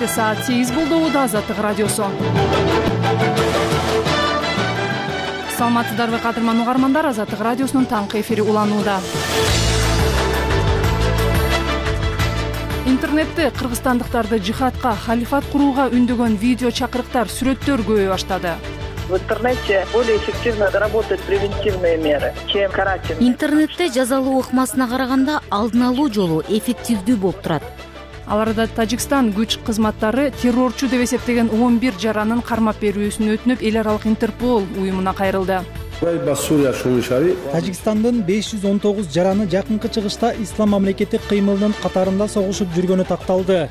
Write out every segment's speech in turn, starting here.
Кечки саат 8 болду. Азаттык радиосу. Саламатсыздарбы кадырман угармандар, Азаттык радиосунун таңкы эфири уланууда. Интернетте кыргызстандыктарды жихадка, халифат курууга үндөгөн видео чакырыктар, сүрөттөр көбөйө баштады. В интернете более эффективно работают превентивные меры, чем карательные. Интернетте жазалуу ыкмасына караганда алдын алуу жолу эффективдүү болуп турат. Аларда Тажикстан күч кызматтары террорчу деп эсептеген 11 жаранын кармап берүүсүн өтүнүп, эл аралык Интерпол уюмуна кайрылды. Тажикстандын 519 жараны жакынкы чыгышта Ислам мамлекети кыймылынын катарында согушуп жүргөнү такталды.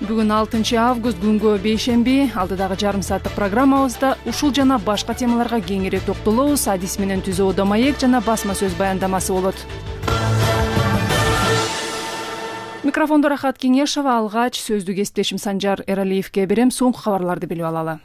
Бүгүн 6 август күнгө бейшемби. Алдыдагы жарым сааттык программабызда ушул жана башка темаларга кеңири токтолобуз. Адис менен түзүүдө маек жана басма сөз баяндамасы болот. Микрофондо Рахат Кеңешова, алгач сөздү кесиптешим Санжар Эралиевке берем. Соңку кабарларды билип алалы.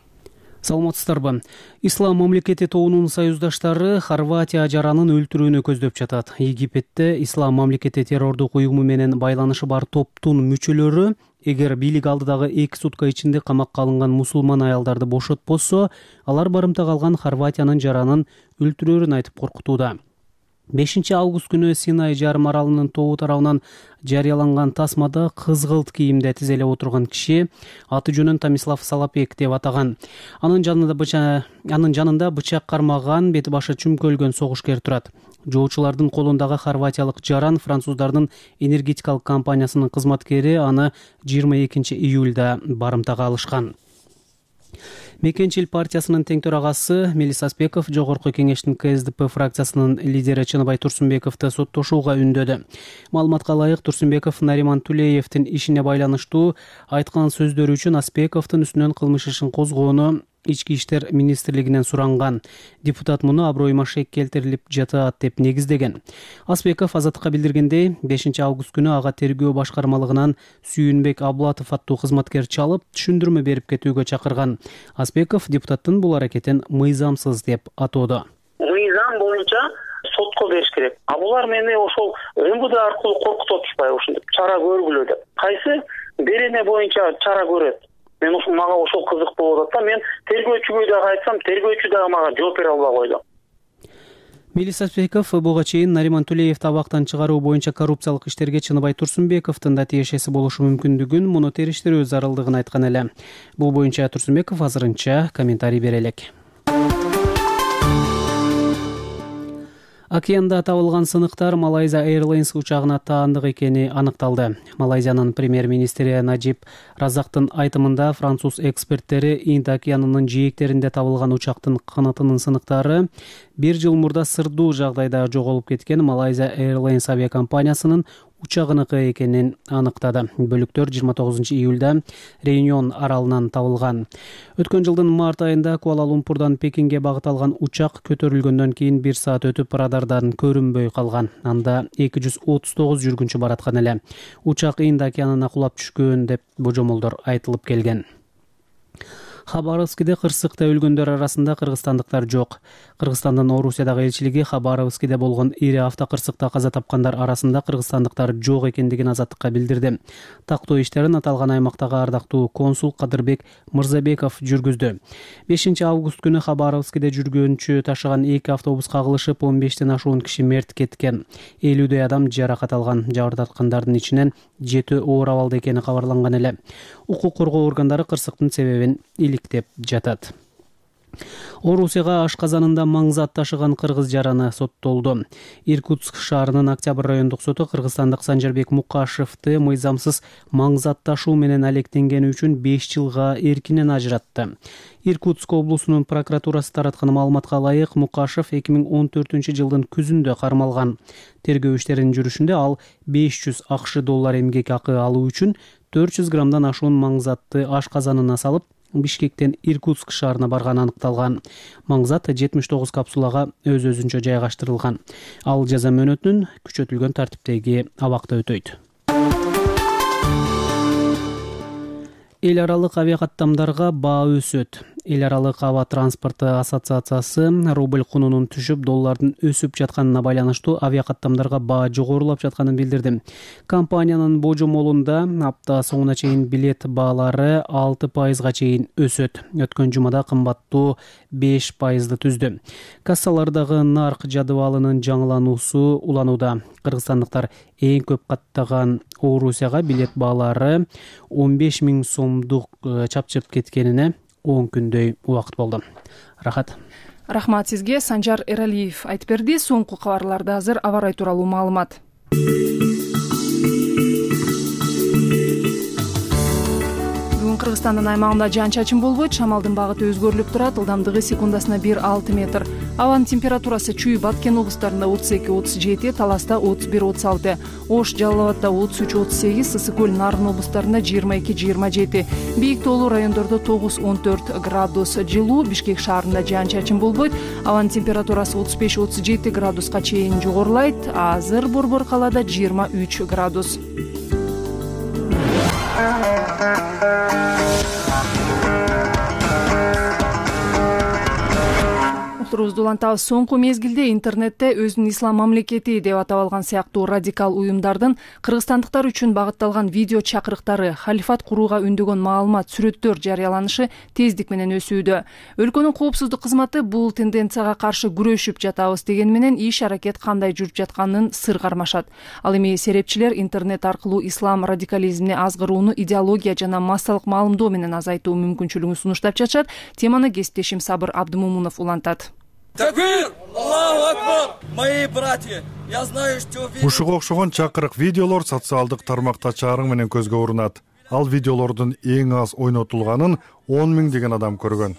Саламатсыздарбы. Ислам мамлекети тобунун союздаштары Хорватия жаранын өлтүрүүнү көздөп жатат. Египетте Ислам мамлекети террордук уюму менен байланышы бар топтун мүчөлөрү эгер бийлик алдыдагы 2 сутка ичинде камакка алынган мусулман аялдарды бошотпосо, алар барымта калган Хорватиянын жаранын өлтүрөөрүн айтып коркутууда. 5 август күнү Синай жарым аралынын тобу тарабынан жарыяланган тасмада кызгылт кийимде тизелеп отурган киши аты жөнүн Томислав Салапек деп атаган. Анын жанында бычак кармаган, бети башы чүмкөлгөн согушкер турат. Жоочулардын колундагы хорватиялык жаран француздардын энергетикалык компаниясынын кызматкери аны 22 июлда барымтага алышкан. Мекенчил партиясынын тең төрагасы Мелис Аспеков жогорку кеңештин КСДП фракциясынын лидери Чыныбай Турсунбековду соттошууга үндөдү. Маалыматка ылайык, Турсунбеков Нариман Тулеевдин ишине байланыштуу айткан сөздөрү үчүн Аспековдун үстүнөн кылмыш ишин козгоону Ички иштер министрлигинен суранган. Депутат муну аброюма шек келтирилип жатат деп негиздеген. Аспеков Азаттыкка билдиргендей, 5 август күнү ага тергөө башкармалыгынан Сүйүнбек Аблатов аттуу кызматкер чалып, түшүндүрмө берип кетүүгө чакырган. Аспеков депутаттын бул аракетин мыйзамсыз деп атоодо. Мыйзам боюнча сотко бериш керек. А булар мени ошол МВД аркылуу коркутуп атышпайбы, ушинтип чара көргүлө деп. Кайсы берене боюнча чара көрөт? Мен мага ошол кызык болуп атат да, мен тергөөчүгө дагы айтсам, тергөөчү дагы мага жооп бере албай койду. Мелис Аспеков буга чейин Нариман Тулеевди абактан чыгаруу боюнча коррупциялык иштерге Чыныбай Турсунбековдун да тиешеси болушу мүмкүндүгүн, муну териштирүү зарылдыгын айткан эле. Бул боюнча Турсунбеков азырынча комментарий бере элек. Океанда табылган сыныктар Малайзия Airlines учагына таандык экени аныкталды. Малайзиянын премьер-министри Наджиб Разактын айтымында француз эксперттери Инд океанынын жээктеринде табылган учактын канатынын сыныктары 1 жыл мурда сырдуу жагдайда жоголуп кеткен Малайзия Airlines авиакомпаниясынын учагыныкы экенин аныктады. Бөлүктөр 29 июлда Реюнион аралынан табылган. Өткөн жылдын март айында Куала-Лумпурдан Пекинге багыт алган учак көтөрүлгөндөн кийин 1 саат өтүп радардан көрүнбөй калган. Анда 239 жүргүнчү бараткан эле. Учак Инд океанына кулап түшкөн деп божомолдор айтылып келген. Хабаровскиде кырсыкта өлгөндөр арасында кыргызстандыктар жок. Кыргызстандын Орусиядагы элчилиги Хабаровскиде болгон ири автокырсыкта каза тапкандар арасында кыргызстандыктар жок экендигин Азаттыкка билдирди. Тактоо иштерин аталган аймактагы ардактуу консул Кадырбек Мырзабеков жүргүздү. 5 август күнү Хабаровскиде жүргөнчү ташыган 2 автобус кагылышып 15тен ашуун киши мерт кеткен. 50дөй адам жаракат алган. Жабыр тарткандардын ичинен 7 оор абалда экени кабарланган эле. Укук коргоо органдары кырсыктын себебин иликтеп жатат. Орусияга ашказанында маңзат ташыган кыргыз жараны соттолду. Иркутск шаарынын Октябрь райондук соту кыргызстандык Санжарбек Мукашевди мыйзамсыз маңзат ташуу менен алектенгени үчүн 5 жылга эркинен ажыратты. Иркутск облусунун прокуратурасы тараткан маалыматка ылайык, Мукашев 2014 жылдын күзүндө кармалган. Тергөө иштеринин жүрүшүндө ал $500 эмгек акы алуу үчүн 400 граммдан ашуун маңзатты ашказанына салып, Бишкектен Иркутск шаарына барганы аныкталган. Маңзат 79 капсулага өз-өзүнчө жайгаштырылган. Ал жаза мөөнөтүнүн күчөтүлгөн тартиптеги абакта өтөйт. Эл аралык авиакаттамдарга баа өсөт. Эл аралык аба транспорту ассоциациясы рубль кунунун түшүп, доллардын өсүп жатканына байланыштуу авиакаттамдарга баа жогорулап жатканын билдирди. Компаниянын божомолунда апта соңуна чейин билет баалары 6% чейин өсөт. Өткөн жумада кымбаттуу 5% түздү. Кассалардагы нарк жадыбалынын жаңылануусу уланууда. Кыргызстандыктар эң көп каттаган Орусияга билет баалары 15 000 сомдук чапчып кеткенине 10 күндөй убакыт болду. Рахмат сизге. Санжар Эралиев айтып берди. Соңку кабарларда азыр аба ырайы тууралуу маалымат. Кыргызстандын аймагында жаан-чачын болбойт, шамалдын багыты өзгөрүлүп турат, ылдамдыгы секундасына 1-6 метр. Абанын температурасы Чүй, Баткен облустарында 32-37, Таласта 31-36, Ош, Жалал Абадда 33-38, Ысык көл, Нарын облустарында 22-27, Бийик тоолуу райондордо 9-14 градус жылуу, Бишкек шаарында жаан-чачын болбойт, абанын температурасы 35-37 градуска чейин жогорулайт, азыр Борбор калаада 23 градус. Турубузду улантабыз. Соңку мезгилде интернетте өзүн ислам мамлекети деп атап алган сыяктуу радикал уюмдардын кыргызстандыктар үчүн багытталган видео чакырыктары, халифат курууга үндөгөн маалымат, сүрөттөр жарыяланышы тездик менен өсүүдө. Өлкөнүн коопсуздук кызматы бул тенденцияга каршы күрөшүп жатабыз дегени менен иш аракет кандай жүрүп жатканын сыр кармашат. Ал эми серепчилер интернет аркылуу ислам радикализмине азгырууну идеология жана массалык маалымдоо менен азайтуу мүмкүнчүлүгүн сунуштап жатышат. Теманы кесиптешим Сабыр Абдымомунов улантат. Такбир! Аллаху акбар! Мои братья, я знаю, что... Ушуга окшогон чакырык видеолор социалдык тармакта чарың менен көзгө урунат. Ал видеолордун эң аз ойнотулганын 10 000 деген адам көргөн.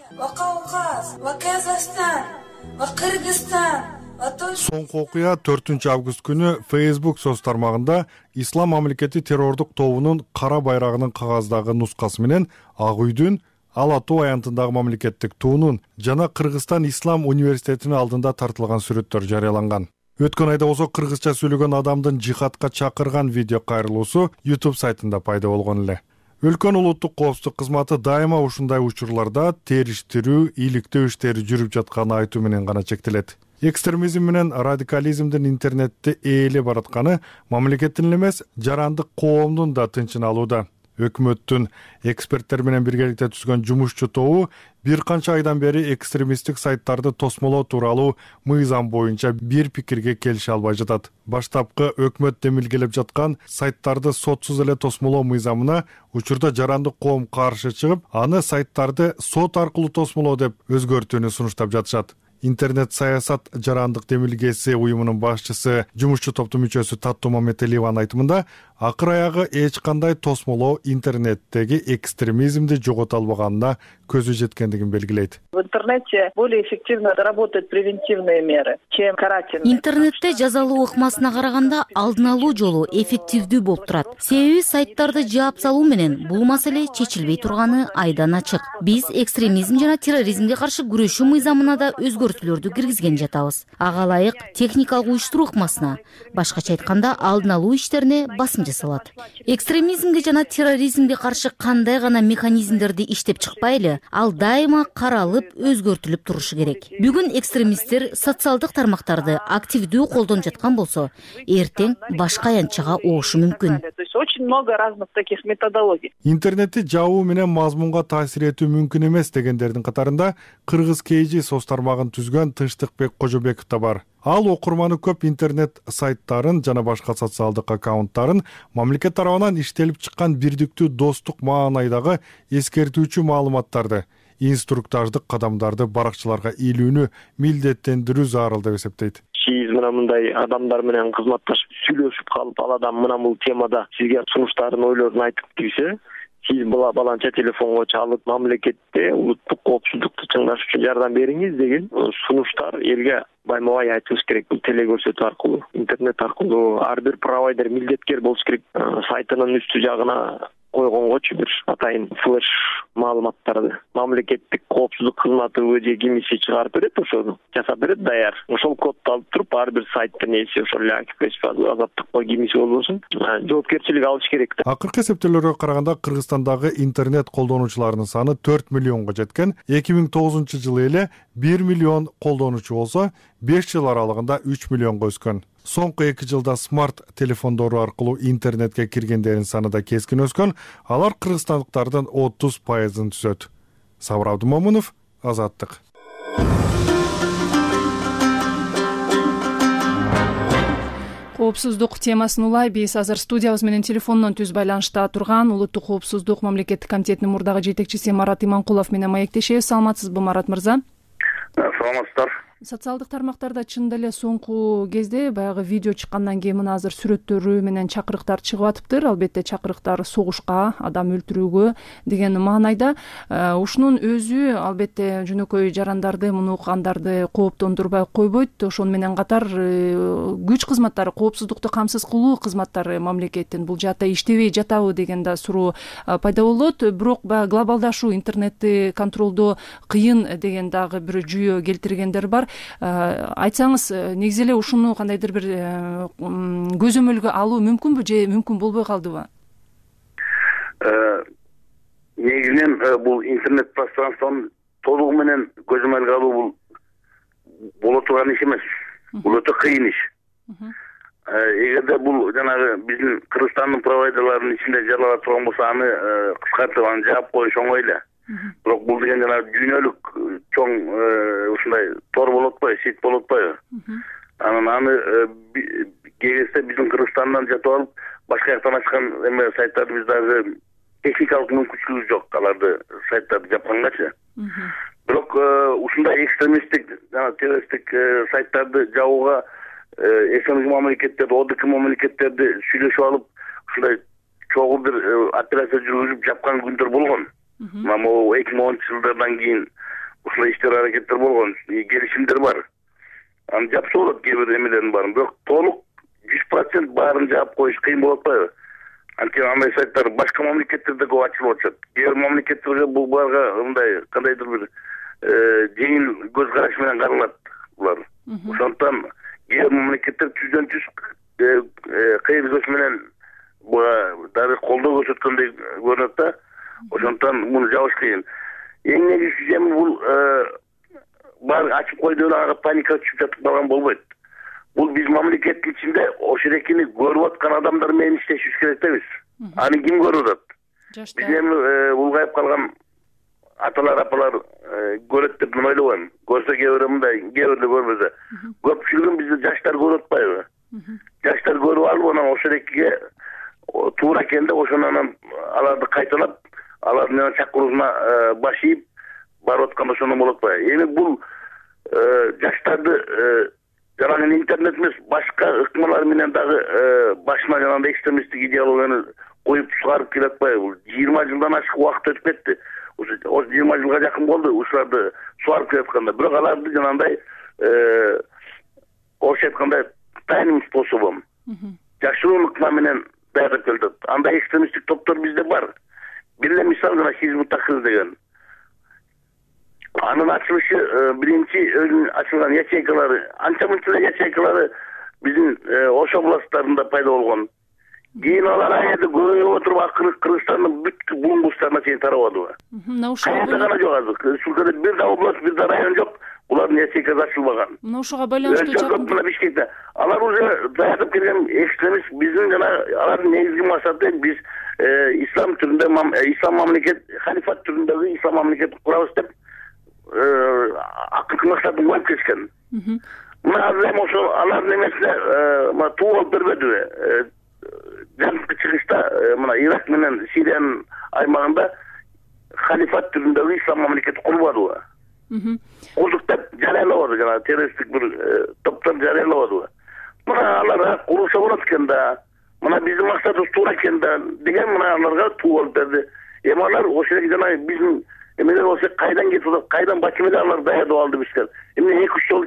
Соңку окуя 4 август күнү Facebook соц тармагында Ислам мамлекети террордук тобунун кара байрагынын кагаздагы нускасы менен Ак үйдүн Ал Аттуу аянтындагы мамлекеттик туунун жана Кыргызстан Ислам университетинин алдында тартылган сүрөттөр жарыяланган. Өткөн айда болсо кыргызча сүйлөгөн адамдын жихадка чакырган видео кайрылуусу YouTube сайтында пайда болгон эле. Өлкөнүн улуттук коопсуздук кызматы дайыма ушундай учурларда териштирүү, иликтөө иштери жүрүп жатканын айтуу менен гана чектелет. Экстремизм менен радикализмдин интернетте ээлеп баратканы мамлекеттин эмес, жарандык коомдун да тынчын алууда. Өкмөттүн эксперттер менен биргеликте түзгөн жумушчу тобу бир канча айдан бери экстремисттик сайттарды тосмолоо тууралуу мыйзам боюнча бир пикирге келише албай жатат. Баштапкы өкмөт демилгелеп жаткан сайттарды сотсуз эле тосмолоо мыйзамына учурда жарандык коом каршы чыгып, аны сайттарды сот аркылуу тосмолоо деп өзгөртүүнү сунуштап жатышат. Интернет саясат жарандык демилгеси уюмунун башчысы, жумушчу топтун мүчөсү Таттуу Мамметалиеванын айтымында, акыр аягы эч кандай тосмолоо интернеттеги экстремизмди жогото албаганына көзү жеткендигин белгилейт. В интернете более эффективно работают превентивные меры, чем карательные. Интернетте жазалуу ыкмасына караганда алдын алуу жолу эффективдүү болуп турат. Себеби сайттарды жаап салуу менен бул маселе чечилбей турганы айдан ачык. Биз экстремизм жана терроризмге каршы күрөшүү мыйзамына да өзгөртүүлөрдү киргизген жатабыз. Ага ылайык техникалык уюштуруу ыкмасына, башкача айтканда алдын алуу иштерине басым жасалат. Экстремизмге жана терроризмге каршы кандай гана механизмдерди иштеп чыкпайлы, ал дайыма каралып, өзгөртүлүп турушу керек. Бүгүн экстремисттер социалдык тармактарды активдүү колдонуп жаткан болсо, эртең башка аянтчага оошу мүмкүн. То есть очень много разных таких методологий. Интернетти жабуу менен мазмунга таасир этүү мүмкүн эмес дегендердин катарында Кыргыз KG соц тармагын түзгөн Тынчтыкбек Кожобеков да бар. Ал окурманы көп интернет сайттарын жана башка социалдык аккаунттарын мамлекет тарабынан иштелип чыккан бирдиктүү достук маанайдагы эскертүүчү маалыматтарды, инструктаждык кадамдарды баракчыларга илүүнү милдеттендирүү зарыл деп эсептейт. Сиз мындай адамдар менен кызматташып сүйлөшүп калып, ал адам мына бул темада сизге сунуштарын, ойлорун айтып кирсе, сиз баланча телефонго чалып, мамлекетте улуттук коопсуздукту чыңдаш үчүн жардам бериңиз деген сунуштар элге байма-бай айтылыш керек. Бул телекөрсөтүү аркылуу, интернет аркылуу ар бир провайдер милдеткер болуш керек. Сайтынын үстү жагына койгонгочу бир атайын флеш маалыматтарды мамлекеттик коопсуздук кызматы ОЖ кимиси чыгарып берет, ошону жасап берет даяр. Ошол кодду алып туруп ар бир сайттын ээси ошол Азаттыкпы кимиси болбосун жоопкерчилик алыш керек да. Акыркы эсептөөлөргө караганда Кыргызстандагы интернет колдонуучуларынын саны 4 миллионго жеткен. 2009-жылы эле 1 миллион колдонуучу болсо, 5 жыл аралыгында 3 миллионго өскөн. Соңку 2 жылда смарт телефондору аркылуу интернетке киргендердин саны да кескин өскөн. Алар кыргызстандыктардын 30%-ын түзөт. Сабыр Абдымомунов, Азаттык. Коопсуздук темасын улай биз азыр студиябыз менен телефондон түз байланышта турган Улуттук коопсуздук мамлекеттик комитетинин мурдагы жетекчиси Марат Иманкулов менен маектешебиз. Саламатсызбы, Марат мырза? Саламатсыздар. Социалдык тармактарда чындап эле соңку кезде баягы видео чыккандан кийин мына азыр сүрөттөрү менен чакырыктар чыгып атыптыр. Албетте чакырыктар согушка, адам өлтүрүүгө деген маанайда. Ушунун өзү албетте жөнөкөй жарандарды, муну уккандарды кооптондурбай койбойт. Ошону менен катар күч кызматтары, коопсуздукту камсыз кылуу кызматтары мамлекеттин бул жаатта иштебей жатабы деген да суроо пайда болот. Бирок баягы глобалдашуу, интернетти контролдоо кыйын деген дагы бир жүйө келтиргендер бар. Айтсаңыз, негизи эле ушуну кандайдыр бир көзөмөлгө алуу мүмкүнбү же мүмкүн болбой калдыбы? Негизинен бул интернет пространствонун толугу менен көзөмөлгө алуу бул боло турган иш эмес. Бул өтө кыйын иш. Эгерде бул жанагы биздин Кыргызстандын провайдерларынын ичинде жарала турган болсо, аны кыскартып аны жаап коюш оңой эле. Бирок бул деген жана дүйнөлүк чоң ушундай тор болуп атпайбы, сит болуп атпайбы? Анан аны кегесте биздин Кыргызстандан жатып алып, башка жактан ачкан эме сайттарды биз дагы техникалык мүмкүнчүлүгү жок аларды сайттарды жапкангачы. Бирок ушундай экстремисттик жана террористтик сайттарды жабууга СНГ мамлекеттерди, ОДК мамлекеттерди сүйлөшүп алып, ушундай чогуу бир операция жүргүзүп жапкан күндөр болгон. Могу 2010-жылдардан кийин ушундай иштер аракеттер болгон, келишимдер бар. Аны жапса болот, кээ бир эмелердин баарын, бирок толук 100% баарын жаап коюш кыйын болуп атпайбы? Анткени андай сайттар башка мамлекеттерде көп ачылып атышат. Кээ бир мамлекеттерге бул буларга мындай кандайдыр бир жеңил көз караш менен каралат булар. Ошондуктан кээ бир мамлекеттер түздөн түз кыйгызыш менен буга дагы колдоо көрсөткөндөй көрүнөт да. Ошондуктан муну жабыш кыйын. Эң негизги жеми бул бар ачып койду эле ага паника түшүп жатып калган болбойт. Бул биз мамлекеттин ичинде ошерекини көрүп аткан адамдар менен иштешибиз керек да биз. Аны ким көрүп атат? Биз эми улгайып калган аталар, апалар көрөт деп мен ойлобойм. Көрсө кээ бирөө мындай, кээ бирөө көрбөсө. Көпчүлүгүн бизде жаштар көрүп атпайбы? Жаштар көрүп алып, анан ошерекке туура экенде ошону анан аларды кайталап, алардын чакыруусуна баш ийип барып атканда ошондо болот атпайбы? Эми бул жаштарды жанагы интернет эмес, башка ыкмалар менен дагы башына жанагындай экстремисттик идеологияны коюп чыгарып келе атпайбы? Бул 20 жылдан ашык убакыт өтүп кетти. Ошо 20 жылга жакын болду ушуларды суарып келатканда. Бирок аларды жанагындай орусча айтканда тайным способом, жашыруун ыкма менен даярдап келет. Андай экстремисттик топтор бизде бар. Бир эле мисал жана Хизбут Тахрир деген. Анын ачылышы биринчи өзүнүн ачылган ячейкалары, анча-мынча ячейкалары биздин Ош областтарында пайда болгон. Кийин алар аябай көбөйүп отуруп, акыры Кыргызстандын бүт булуңгустарына чейин тарабадыбы? Кайда гана жок азыр. Республикада бир да область, бир да район жок. Булардын ячейкасы ачылбаган. Мына ошого байланыштуу Бишкекте. Алар уже даярдап келген экстремист биздин жана алардын негизги максаты биз ислам түрүндө, ислам мамлекет, халифат түрүндөгү ислам мамлекет курабыз деп акыркы максатын коюп кеткен. Мына азыр эми ошо алардын эмесине туу болуп бербедиби? Жаңы чыгышта мына Ирак менен Сириянын аймагында халифат түрүндөгү ислам мамлекети курбадыбы? Курдук деп жарыялабады, жана террористтик бир топтор жарыялабадыбы? Мына алар курулса болот экен да. Мына биздин максатыбыз туура экен да деген мына аларга туу болуп берди. Эми алар ошол эле жана биздин эмелер болсо кайдан кетип атат, кайдан бачымеде алар даярдап алды бизге. Эми 2-3 жолу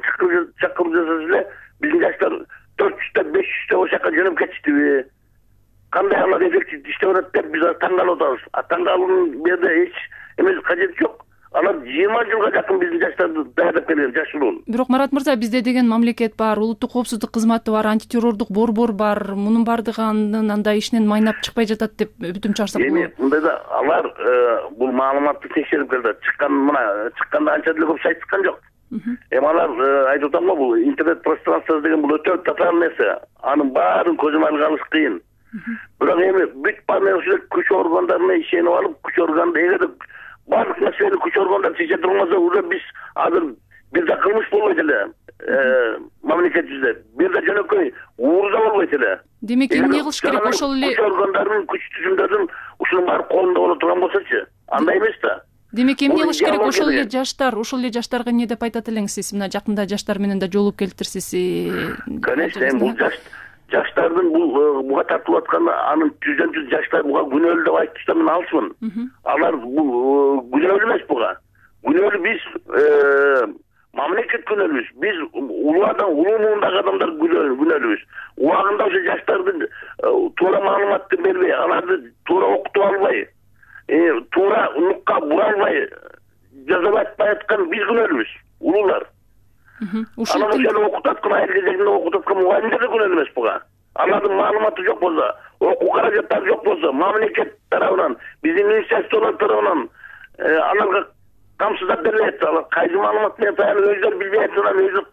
чакырып жасаса эле биздин жаштар 400 500 ошол жака жөнөп кетиштиби? кандай алар эффектив иштеп атат деп биз таң калып атабыз. Таң калуунун бу жерде эч эмес кажети жок. Алар 20 жылга жакын биздин жаштарды даярдап келген, жаш улуун. Бирок Марат мырза, бизде деген мамлекет бар, улуттук коопсуздук кызматы бар, антитеррордук борбор бар. Мунун бардыгы андай ишинен майнап чыкпай жатат деп бүтүм чыгарсак болот. Эми мындайда алар бул маалыматты текшерип келди. Чыкканда анча деле көп сайт чыккан жок. Эми алар айтып атам го, бул интернет пространствосы деген бул өтө татаал нерсе. Анын баарын көзөмөлгө алыш кыйын. Бирок эми бүт баары ушул күч органдарына ишенип алып, күч органда эгерде барлык нерсени күч органдар чече турмаса, уже биз азыр бирде кылмыш болбойт эле. Мамлекетибизде бирде жөнөкөй уурда болбойт эле. Демек эмне кылыш керек? Ошол эле күч органдарынын күч түзүмдөрүн ушунун баары колунда боло турган болсочу, андай эмес да. Демек эмне кылыш керек? Ошол эле жаштарга эмне деп айтат элеңиз сиз? Мына жакында жаштар менен да жолугуп келиптирсиз. Конечно, бул жаштардын буга тартылып атканы анын жүздөн-жүз жаштар буга күнөөлүү деп айтышта мен алысмын. Алар күнөөлүү эмес буга. Күнөөлүү биз мамлекет күнөөлүүбүз. Биз улуу муундагы адамдар күнөөлүүбүз. Убагында ошо жаштардын туура маалыматты бербей, аларды туура окутуп албай, туура нукка бура албай, жазып атпай аткан биз күнөөлүүбүз, улуулар. Анан ошону окутуп аткан, айыл кезегинде окутуп аткан мугалимдер да күнөөлүү эмес буга. Алардын маалыматы жок болсо, окуу каражаттары жок болсо, мамлекет тарабынан, биздин министрликтер тарабынан аларга камсыздап берилип атса, алар кайсы маалымат менен таянып өздөрү билбей атса, өздөрү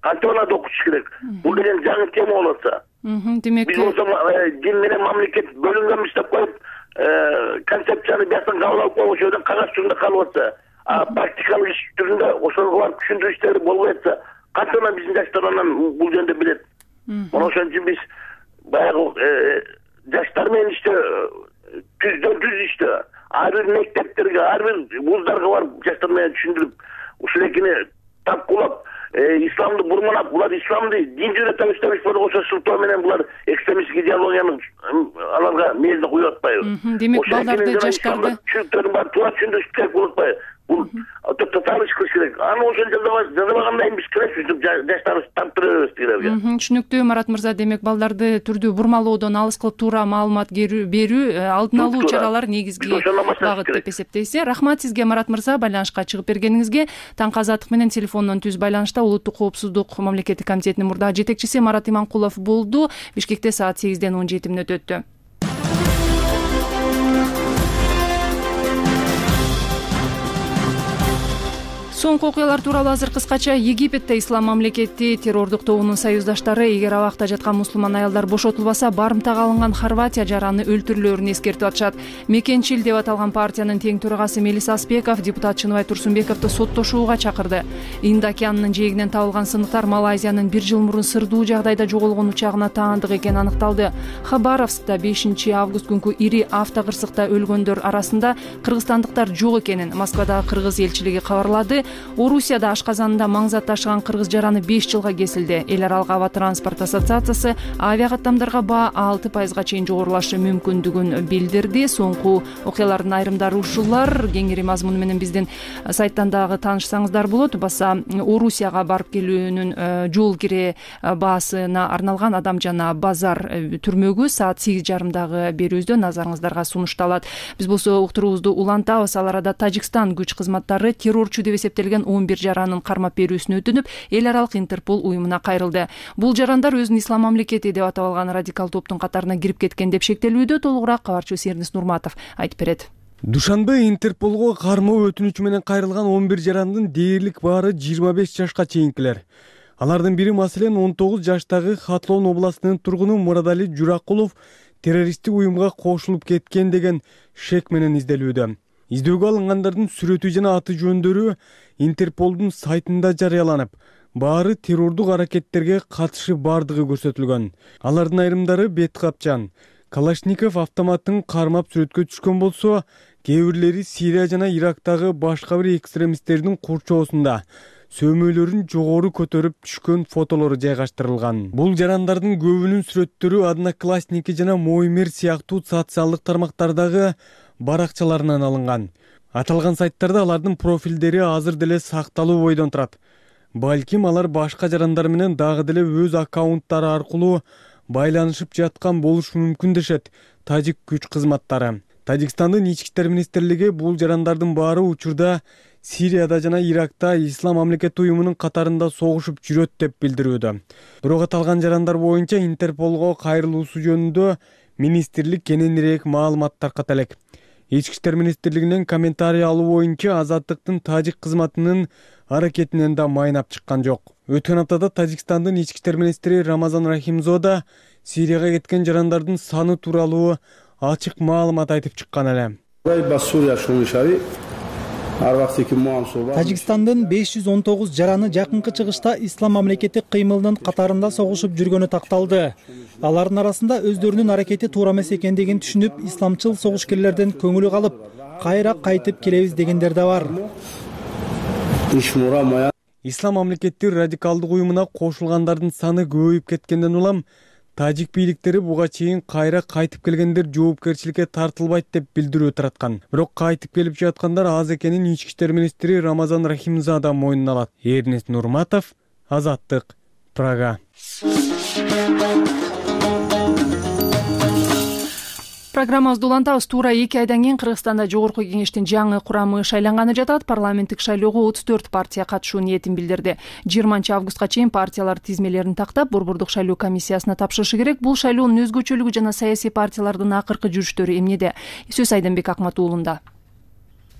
кантип аларды окутуш керек? Бул деген жаңы тема болуп атса. Демек биз болсо дин менен мамлекет бөлүнгөнбүз деп коюп, концепцияны бияктан кабыл алып коюп, ошол жерден кагаз түрүндө калып атса, практикалык иш түрүндө ошого барып түшүндүрүү иштери болбой атса, кантип биздин жаштар анан бул жөнүндө билет? Мына ошон үчүн биз баягы жаштар менен иштөө, түздөн-түз иштөө, ар бир мектептерге, ар бир вуздарга барып жаштар менен түшүндүрүп, ушулекини тапкылап, исламды бурмалап, булар исламды дин жөнөтөбүз деп ошо сылтоо менен булар экстремисттик идеологияны аларга мээзине куюп атпайбы? Демек балдарды, жаштарды түшүнүктөрүн баары туура түшүндүрүш керек болуп атпайбы? Бул татаал иш кылыш керек. Аны ошол жазабагандай биз киресиз, жаштарыбыз таптыра беребиз тигилерге. Түшүнүктүү Марат мырза. Демек балдарды түрдүү бурмалоодон алыс кылып туура маалымат берүү, алдын алуу чаралар негизги багыт деп эсептейсиз. Рахмат сизге Марат мырза, байланышка чыгып бергениңизге. Таңкы Азаттык менен телефондон түз байланышта Улуттук коопсуздук мамлекеттик комитетинин мурдагы жетекчиси Марат Иманкулов болду. Бишкекте саат 8-ден 17 мүнөт өттү. Соңку окуялар тууралуу азыр кыскача. Египетте ислам мамлекети террордук тобунун союздаштары эгер абакта жаткан мусулман аялдар бошотулбаса, барымтага алынган Хорватия жараны өлтүрүлөөрүн эскертип атышат. Мекенчил деп аталган партиянын тең төрагасы Мелис Аспеков депутат Чыныбай Турсунбековду соттошууга чакырды. Инд океанынын жээгинен табылган сыныктар Малайзиянын 1 жыл мурун сырдуу жагдайда жоголгон учагына таандык экени аныкталды. Хабаровскта 5 август күнкү ири автокырсыкта өлгөндөр арасында кыргызстандыктар жок экенин Москвадагы кыргыз элчилиги кабарлады. Орусияда ашказанында маңзат ташыган кыргыз жараны 5 жылга кесилди. Эл аралык аба транспорт ассоциациясы авиа каттамдарга баа 6% чейин жогорулашы мүмкүндүгүн билдирди. Соңку окуялардын айрымдары ушулар. Кеңири мазмуну менен биздин сайттан дагы таанышсаңыздар болот. Баса Орусияга барып келүүнүн жол кире баасына арналган Адам жана базар түрмөгү саат 8:30 берүүбүздө назарыңыздарга сунушталат. Биз болсо уктуруубузду улантабыз. Ал арада Тажикстан күч кызматтары террорчу деп эсептелген 11 жаранын кармап берүүсүнө өтүнүп, эл аралык Интерпол уюмуна кайрылды. Бул жарандар өзүн ислам мамлекети деп атап алган радикал топтун катарына кирип кеткен деп шектелүүдө. Толугураак кабарчыбыз Эрнис Нурматов айтып берет. Душанбе Интерполго кармоо өтүнүчү менен кайрылган 11 жарандын дээрлик баары 25 жашка чейинкилер. Алардын бири маселен 19 жаштагы Хатлон областынын тургуну Мурадали Журакулов террористтик уюмга кошулуп кеткен деген шек менен изделүүдө. Издөөгө алынгандардын сүрөтү жана аты жөндөрү Интерполдун сайтында жарыяланып, баары террордук аракеттерге катышы бардыгы көрсөтүлгөн. Алардын айрымдары бет капчан, Калашников автоматтын кармап сүрөткө түшкөн болсо, кээ бирлери Сирия жана Ирактагы башка бир экстремисттердин курчоосунда сөмөйлөрүн жогору көтөрүп түшкөн фотолору жайгаштырылган. Бул жарандардын көбүнүн сүрөттөрү Одноклассники жана Моймер сыяктуу социалдык тармактардагы баракчаларынан алынган. Аталган сайттарда алардын профилдери азыр деле сакталуу бойдон турат. Балким алар башка жарандар менен дагы деле өз аккаунттары аркылуу байланышып жаткан болушу мүмкүн дешет тажик күч кызматтары. Тажикстандын ички иштер министрлиги бул жарандардын баары учурда Сирияда жана Иракта Ислам мамлекети уюмунун катарында согушуп жүрөт деп билдирүүдө. Бирок аталган жарандар боюнча Интерполго кайрылуусу жөнүндө министрлик кененирээк маалымат тарката элек. Ички иштер министрлигинен комментарий алуу боюнча Азаттыктын тажик кызматынын аракетинен да майнап чыккан жок. Өткөн аптада Тажикстандын ички иштер министри Рамазан Рахимзода Сирияга кеткен жарандардын саны тууралуу ачык маалымат айтып чыккан эле. Тажикстандын 519 жараны жакынкы чыгышта Ислам мамлекети кыймылынын катарында согушуп жүргөнү такталды. Алардын арасында өздөрүнүн аракети туура эмес экендигин түшүнүп, исламчыл согушкерлерден көңүлү калып, кайра кайтып келебиз дегендер да бар. Ислам мамлекети радикалдык уюмуна кошулгандардын саны көбөйүп кеткенден улам тажик бийликтери буга чейин кайра кайтып келгендер жоопкерчиликке тартылбайт деп билдирүү тараткан. Бирок кайтып келип жаткандар аз экенин ички иштер министри Рамазан Рахимзада мойнуна алат. Эрнест Нурматов, Азаттык, Прага. Программабызды улантабыз. Туура 2 айдан кийин Кыргызстанда жогорку кеңештин жаңы курамы шайланганы жатат. Парламенттик шайлоого 34 партия катышуу ниетин билдирди. 20-августка чейин партиялар тизмелерин тактап, Борбордук шайлоо комиссиясына тапшырышы керек. Бул шайлоонун өзгөчөлүгү жана саясий партиялардын акыркы жүрүштөрү эмнеде? Сөз Айдынбек Акматуулунда.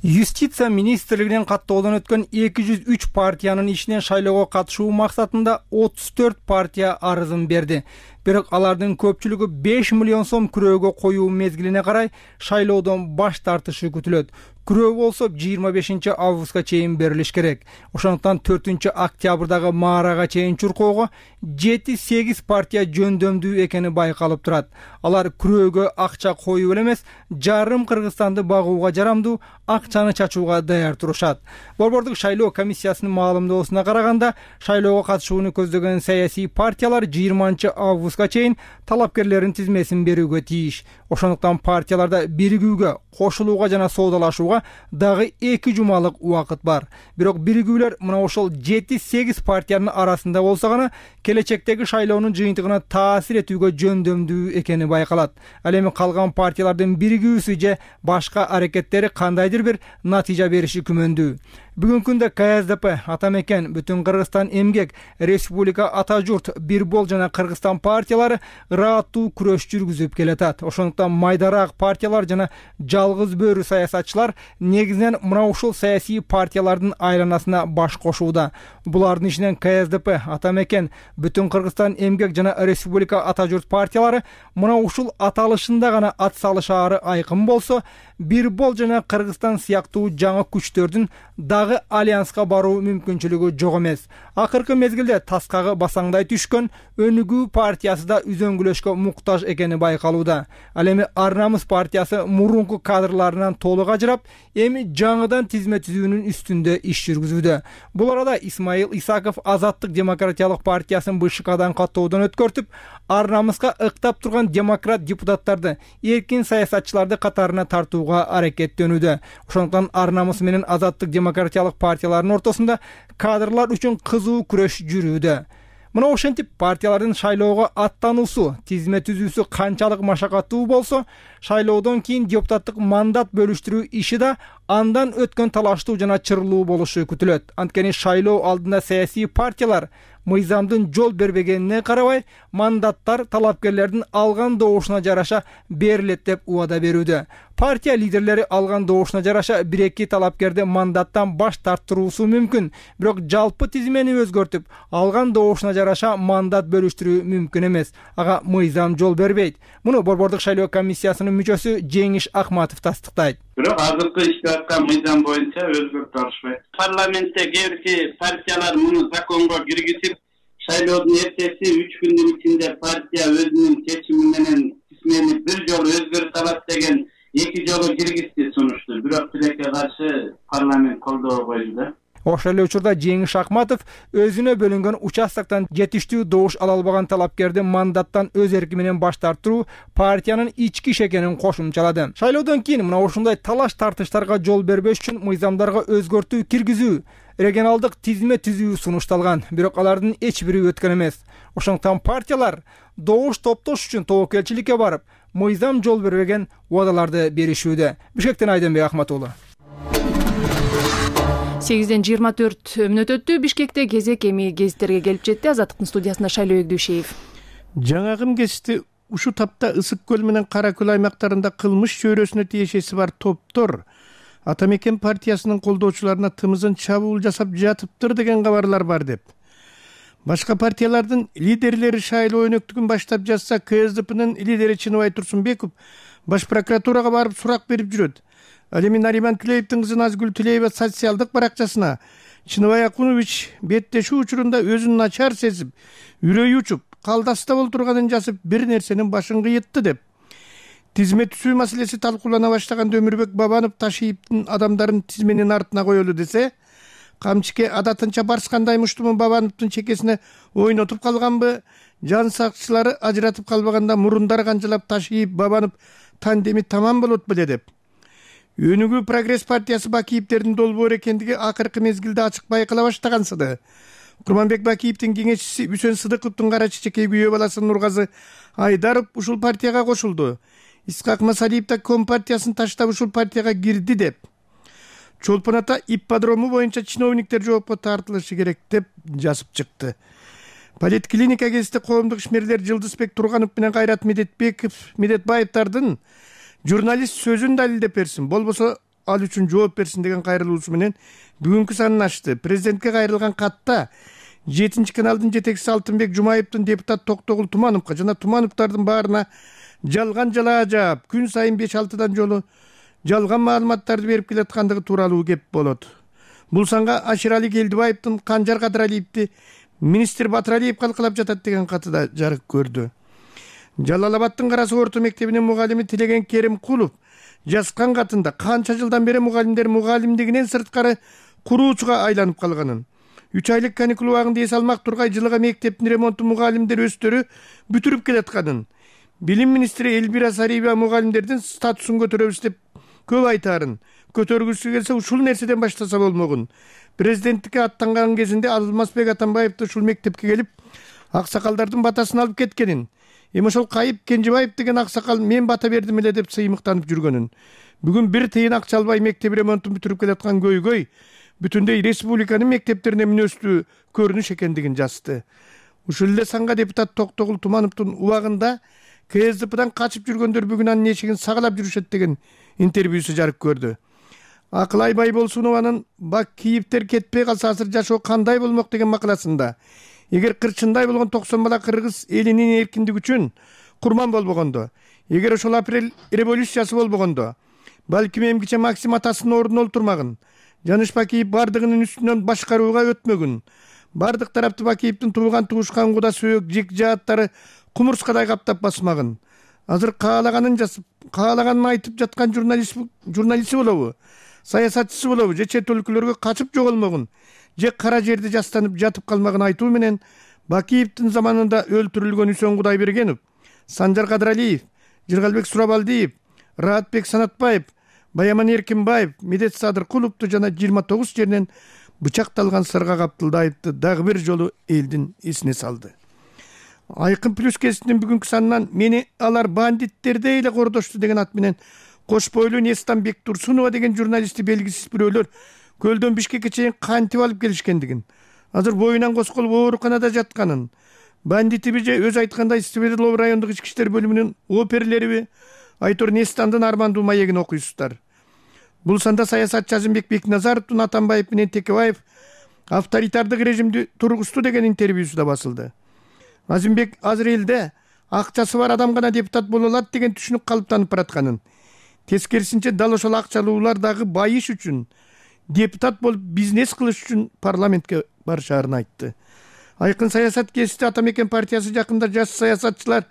Юстиция министрлигинин каттоодон өткөн 203 партиянын ичинен шайлоого катышуу максатында 34 партия арызын берди. Бирок алардын көпчүлүгү 5 миллион сом күрөөгө коюу мезгилине карай шайлоодон баш тартышы күтүлөт. Күрөө болсо 25-августка чейин берилиш керек. Ошондуктан 4-октябрдагы маарага чейин чуркоого 7-8 партия жөндөмдүү экени байкалып турат. Алар күрөөгө акча коюу эле эмес, жарым Кыргызстанды багууга жарамдуу акчаны чачууга даяр турушат. Борбордук шайлоо комиссиясынын маалымдоосуна караганда, шайлоого катышууну көздөгөн саясий партиялар 20-августка чейин талапкерлердин тизмесин берүүгө тийиш. Ошондуктан партияларда биригүүгө, кошулууга жана соодалашууга дагы 2 жумалык убакыт бар. Бирок биригүүлөр мына ошол 7-8 партиянын арасында болсо гана келечектеги шайлоонун жыйынтыгына таасир этүүгө жөндөмдүү экени байкалат. Ал эми калган партиялардын биригүүсү же башка аракеттери кандайдыр бир натыйжа бериши күмөндүү. Бүгүнкү күндө КСДП, Атамекен, Бүтүн Кыргызстан эмгек, Республика Ата журт, Бир бол жана Кыргызстан партиялары ырааттуу күрөш жүргүзүп келатат. Ошондуктан майдараак партиялар жана жалгыз бөрү саясатчылар негизинен мына ушул саясий партиялардын айланасына баш кошууда. Булардын ичинен КСДП, Атамекен, Бүтүн Кыргызстан эмгек жана Республика Ата журт партиялары мына ушул аталышында гана ат салышаары айкын болсо, Бир бол жана Кыргызстан сыяктуу жаңы күчтөрдүн дагы альянска баруу мүмкүнчүлүгү жок эмес. Акыркы мезгилде таскагы басаңдай түшкөн Өнүгүү партиясы да үзөңгүлөшкө муктаж экени байкалууда. Ал эми Ар Намыс партиясы мурунку кадрларынан толук ажырап, эми жаңыдан тизме түзүүнүн үстүндө иш жүргүзүүдө. Бул арада Исмаил Исаков Азаттык демократиялык партиясын БШКдан каттоодон өткөртүп, Ар Намыска ыктап турган демократ депутаттарды, эркин саясатчыларды катарына тартууга аракеттенүүдө. Ошондуктан Ар Намыс менен Азаттык демократиялык партиялардын ортосунда кадрлар үчүн кызуу күрөш жүрүүдө. Мына ошентип партиялардын шайлоого аттануусу, тизме түзүүсү канчалык машакаттуу болсо, шайлоодон кийин депутаттык мандат бөлүштүрүү иши да андан өткөн талаштуу жана чырлуу болушу күтүлөт. Анткени шайлоо алдында саясий партиялар мыйзамдын жол бербегенине карабай, мандаттар талапкерлердин алган добушуна жараша берилет деп убада берүүдө. Партия лидерлери алган добушуна жараша 1-2 талапкерди мандаттан баш тарттыруусу мүмкүн, бирок жалпы тизмени өзгөртүп, алган добушуна жараша мандат бөлүштүрүү мүмкүн эмес. Ага мыйзам жол бербейт. Муну Борбордук шайлоо комиссиясынын мүчөсү Жеңиш Акматов тастыктайт. Бирок азыркы ишке аткан мыйзам боюнча өзгөртүп алышпайт. Парламентте кээ бир партиялар муну законго киргизип, шайлоодун эртеси 3 күндүн ичинде партия өзүнүн чечими менен тизмени бир жолу өзгөртүп алат деген 2 жолу киргизди сунушту. Бирок тилекке каршы парламент колдоо койду. Ошол эле учурда Жеңиш Акматов өзүнө бөлүнгөн участоктон жетиштүү добуш ала албаган талапкерди мандаттан өз эрки менен баш тартыруу партиянын ички иш экенин кошумчалады. Шайлоодон кийин мына ушундай талаш тартыштарга жол бербеш үчүн мыйзамдарга өзгөртүү киргизүү, регионалдык тизме түзүү сунушталган, бирок алардын эч бири өткөн эмес. Ошондуктан партиялар добуш топтош үчүн тобокелчиликке барып, мыйзам жол бербеген убадаларды беришүүдө. Бишкектен Айденбек Ахматуулу. 8:24 мүнөт өттү. Бишкекте кезек эми гезиттерге келип жетти. Азаттыктын студиясында Шайлоо Эгдүүшеев. Жаңагым кести ушу тапта Ысык көл менен Кара көл аймактарында кылмыш чөйрөсүнө тиешеси бар топтор Ата Мекен партиясынын колдоочуларына тымызын чабуул жасап жатыптыр деген кабарлар бар деп. Башка партиялардын лидерлери шайлоо өнөктүгүн баштап жатса, КСДПнын лидери Чыныбай Турсунбеков Баш прокуратурага барып сурак берип жүрөт. Ал эми Нариман Түлеевдин кызы Назгүл Түлеева социалдык баракчасына Чыныбай Акунович беттешүү учурунда өзүн начар сезип, үрөйү учуп, калдаста болтурганын жазып, бир нерсенин башын кыйытты деп. Тизме түзүү маселеси талкуулана баштаганда Өмүрбек Бабанов Ташиевдин адамдарын тизменин артына коелу десе, камчыке адатынча барскандай муштумун Бабановдун чекесине ойнотуп калганбы, жан сакчылары ажыратып калбаганда мурундар канжалап Ташиев Бабанов тандеми тамам болот беле деп. Өнүгүү Прогресс партиясы Бакиевдердин долбоор экендиги акыркы мезгилде ачык байкала баштагансыды. Курманбек Бакиевдин кеңешчиси Үсөн Сыдыковдун кара чечекей күйөө баласы Нургазы Айдаров ушул партияга кошулду. Исхак Масалиев да Компартиясын таштап ушул партияга кирди деп. Чолпон ата ипподрому боюнча чиновниктер жоопко тартылышы керек деп жазып чыкты. Политклиника кезинде коомдук ишмерлер Жылдызбек Турганов менен Кайрат Медетбаевдардын журналист сөзүн далилдеп берсин, болбосо ал үчүн жооп берсин деген кайрылуусу менен бүгүнкү санын ачты. Президентке кайрылган катта 7-каналдын жетекчиси Алтынбек Жумаевдин депутат Токтогул Тумановго жана Тумановдардын баарына жалган жалаажап күн сайын 5-6 жолу жалган маалыматтарды берип келаткандыгы тууралуу кеп болот. Бул санга Аширали Келдибаевдин Канжар Кадыралиевди министр Батыралиев калкалап жатат деген каты да жарык көрдү. Жалал-Абадтын Карасы орто мектебинин мугалими Тилеген Керимкулов жазган катында канча жылдан бери мугалимдер мугалимдигинен сырткары куруучуга айланып калганын, 3 айлык каникул убагында эс алмак тургай жылга мектептин ремонтун мугалимдер өздөрү бүтүрүп келатканын, билим министри Эльбира Сариева мугалимдердин статусун көтөрөбүз деп көп айтарын, көтөргүсү келсе ушул нерседен баштаса болмогун. Президенттикке аттанган кезинде Алмазбек Атамбаевди ушул мектепке келип аксакалдардын батасын алып кеткенин, эми ошол Кайып Кенжебаев деген аксакал мен бата бердим эле деп сыймыктанып жүргөнүн, бүгүн бир тыйын акча албай мектеп ремонтун бүтүрүп келаткан көйгөй бүтүндөй республиканын мектептерине мүнөстүү көрүнүш экендигин жазды. Ушул эле санга депутат Токтогул Тумановдун убагында КСДПдан качып жүргөндөр бүгүн анын эшигин сагалап жүрүшөт деген интервьюсу жарык көрдү. Акылай Байболсунованын Бакиевдер кетпей калса азыр жашоо кандай болмок деген макаласында, эгер кырчындай болгон 90 бала кыргыз элинин эркиндиги үчүн курман болбогондо, эгер ошол апрель революциясы болбогондо, балким эмгиче Максим атасынын ордуна олтурмагын, Жаныш Бакиев бардыгынын үстүнөн башкарууга өтмөгүн, бардык тарапты Бакиевдин туулган туушкан куда сөөк жик жааттары кумурскадай каптап басмагын. Азыр каалаганын жазып, каалаганын айтып жаткан журналисти болобу, саясатчысы болобу, же чет өлкөлөргө качып жоголмогун, же кара жерде жастанып жатып калмагын айтуу менен Бакиевдин заманында өлтүрүлгөн Үсөн Кудайбергенов, Санжар Кадыралиев, Жыргалбек Сурабалдиев, Раатбек Санатбаев, Баяман Эркинбаев, Медет Садыркуловду жана 29 жеринен бычакталган Сырга Каптылдаевди дагы бир жолу элдин эсине салды. Айкын плюс кесиптин бүгүнкү санынан мени алар бандиттердей эле кордошту деген ат менен Кош бойлуу Нестан Бектурсунова деген журналистти белгисиз бирөөлөр Көлдөн Бишкекке чейин кантип алып келишкендигин, азыр боюнан косколуп ооруканада жатканын, бандитиби же өзү айткандай Свердлов райондук ички иштер бөлүмүнүн оперлериби Айтор Нестандын армандуу маегин окуйсуздар. Бул санда саясатчы Азимбек Бекназаровдун Атамбаев менен Текебаев авторитардык режимди тургузду деген интервьюсу да басылды. Азимбек азыр элде акчасы бар адам гана депутат боло алат деген түшүнүк калыптанып баратканын, тескерисинче дал ошол акчалуулар дагы байыш үчүн, депутат болуп бизнес кылыш үчүн парламентке барышаарын айтты. Айкын саясат кесипти Ата Мекен партиясы жакында жаш саясатчылар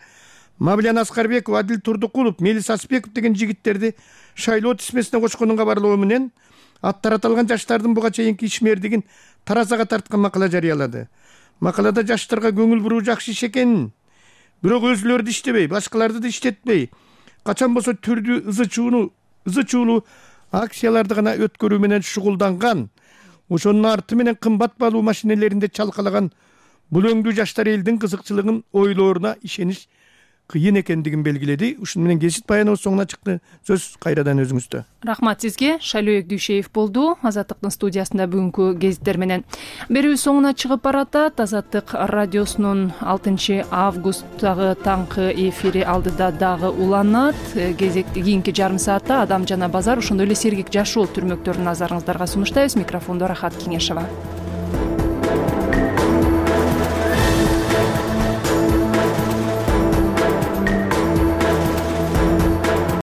Мавлян Аскарбеков, Адил Турдукулов, Мелис Асбеков деген жигиттерди шайлоо тизмесине кошконун кабарлоо менен аттары аталган жаштардын буга чейинки ишмердигин таразага тарткан макала жарыялады. Макалада жаштарга көңүл буруу жакшы иш экенин, бирок өзүлөрү иштебей, башкаларды да иштетпей, качан болсо түрдүү ызы чуулуу акцияларды гана өткөрүү менен шугулданган, ошонун арты менен кымбат баалуу машинелеринде чалкалаган бул өңдүү жаштар элдин кызыкчылыгын ойлооруна ишениш кыйын экендигин белгиледи. Ушуну менен кесип баяныбыз соңуна чыкты. Сөз кайрадан өзүңүздө. Рахмат сизге. Шайлоок Дүйшеев болду Азаттыктын студиясында бүгүнкү гезиттер менен. Берүүбүз соңуна чыгып баратат. Азаттык радиосунун 6 августтагы таңкы эфири алдыда дагы уланат. Кийинки жарым саатта Адам жана базар, ошондой эле Сергек Жашоол түрмөктөрүн назарыңыздарга сунуштайбыз. Микрофондо Рахат Кеңешова.